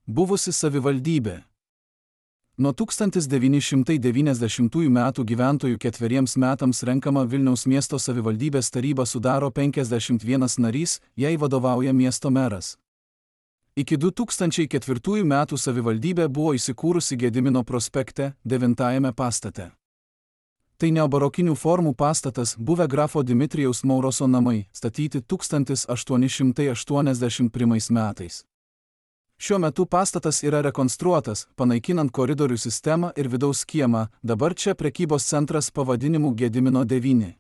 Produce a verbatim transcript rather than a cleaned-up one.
Buvusi savivaldybė. Nuo tūkstantis devyni šimtai devyniasdešimtųjų metų gyventojų ketveriems metams renkama Vilniaus miesto savivaldybės taryba sudaro penkiasdešimt vienas narys, jai vadovauja miesto meras. Iki du tūkstančiai ketvirtųjų metų savivaldybė buvo įsikūrusi Gedimino prospekte, devintajame pastate. Tai neobarokinių formų pastatas, buvę grafo Dimitrijaus Mauroso namai, statyti tūkstantis aštuoni šimtai aštuoniasdešimt pirmais metais. Šiuo metu pastatas yra rekonstruotas, panaikinant koridorių sistemą ir vidaus kiemą, dabar čia prekybos centras pavadinimu Gedimino devyni.